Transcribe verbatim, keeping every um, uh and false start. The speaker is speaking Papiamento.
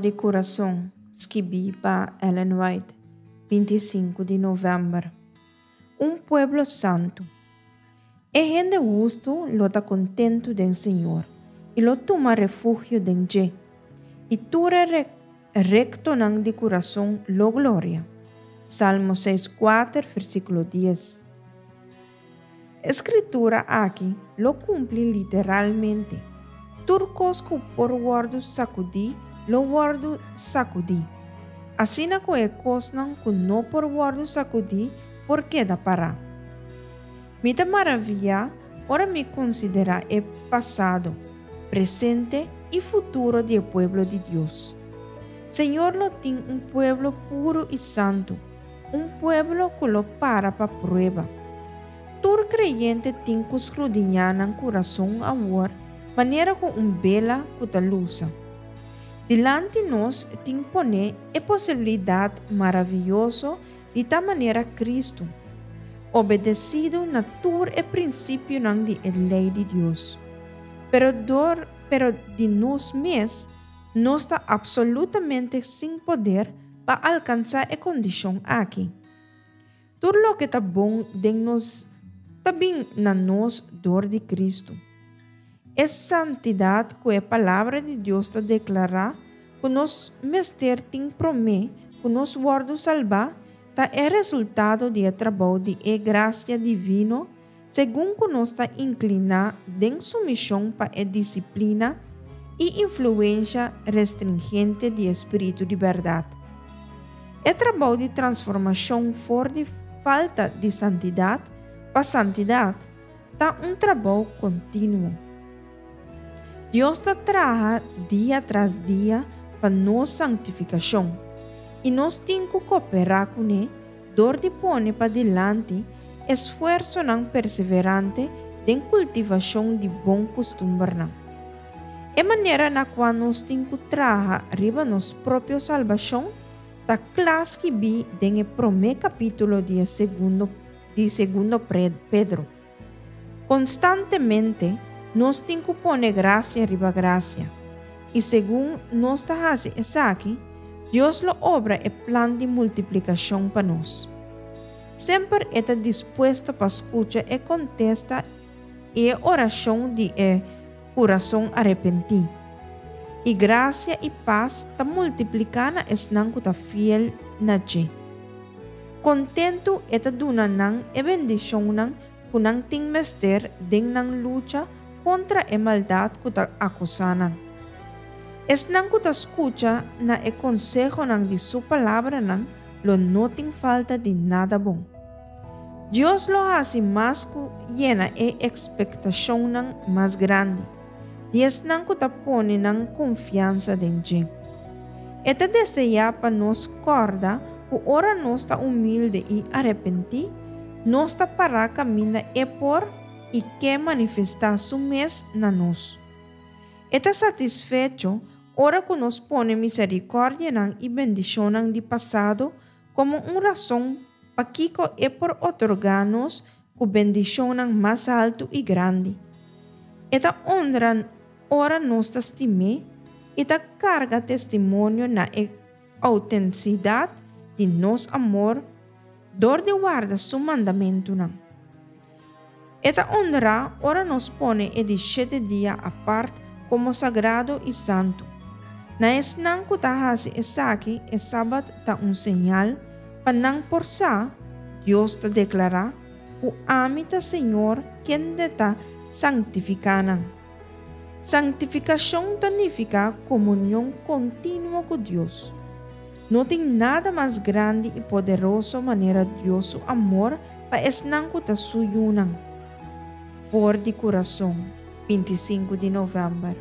di Kurason, skibí pa Ellen White, binti sinku di novèmber. Un pueblo santu. E hende hustu lo ta kontentu den Señor i lo tuma refugio den dje, i tur e rektonan di kurason lo gloria. Salmo seis kuater, versíkulo dies. E skritura aki lo kumpli literalmente. Tur kos ku por wòrdu sakudí lo wòrdu sakudí, asina ku e kosnan ku no por wòrdu sakudí por keda pará. Mi ta maravillá ora mi konsiderá e pasado, presente i futuro di e pueblo di Dios. Señor lo tin un pueblo puru i santu, un pueblo ku lo para pa prueba. Tur kreyente tin ku skrudiñá nan kurason awor manera ku un bela ku ta lusa. Dilanti nos tin pone e posibilidat maravioso di ta manera Kristu, obedesidu na tur e prinsipionan di e lei di Dios. Pero dor, pero di nos mes, nos ta absolutamente sin poder pa alkansá e kondishon aki. Tur loke ta bon den nos ta bin na nos dor di Kristu. E santidat ku e Palabra di Dios ta deklará ku nos mester tin promé ku nos wòrdu salbá ta e resultado di e trabou di e grasia divino segun ku nos ta inkliná den sumishon pa e disiplina i influensha restringente di e Spiritu di bèrdat. E trabou di transformashon for di falta di santidat pa santidat ta un trabou kontinuo. Dios ta traha dia tras dia pa nos sanktifikashon, i nos tin ku kooperá kuné dor di pone padilanti esfuersonan perseverante den kultivashon di bon kustumbernan. E manera na kua nos tin ku traha riba nos propio salbashon ta kla skibí den e promé kapítulo di e segundo di Segundo Pedro. Konstantemente nos tin ku pone grasia riba grasia, i segun nos ta hasi esaki, Dios lo obra e plan di multiplikashon pa nos. Semper e ta dispuesto pa skucha e kontesta i e orashon di e kurason arepentí. I grasia i pas ta multipliká na esnan ku ta fiel na dje. Kontentu e ta duna nan e bendishonnan ku nan tin mester den nan lucha kontra e maldat ku ta akosá nan. Esnan ku ta skucha na e konsehonan di su palabranan lo no tin falta di nada bon. Dios lo hasi mas ku yena e ekspektashonnan mas grandi di esnan ku ta pone nan konfiansa den dje. E ta deseá pa nos kòrda ku ora nos ta humilde i arepentí, nos ta pará kaminda e por i ke manifestá su mes na nos. E ta satisfecho ora ku nos pone miserikòrdianan i bendishonnan di pasado komo un rason pakiko e por otorgá nos ku bendishonnan mas haltu i grandi. E ta honra ora nos ta stim'é i ta karga testimonio na e outentisidat di nos amor dor di warda su mandamentunan. E ta honra ora nos pone e di shete dia apart komo sagrado i santu. Na esnan ku ta hasi esaki, e Sabat ta un señal pa nan por sa, Dios ta deklará, ku ami ta Señor kende ta sanktifiká nan. Sanktifikashon ta nifiká komunion kontinuo ku Dios. No tin nada mas grandi i poderoso manera Dios su amor pa esnan ku ta su yunan. For di Kurason, binti sinku di novèmber.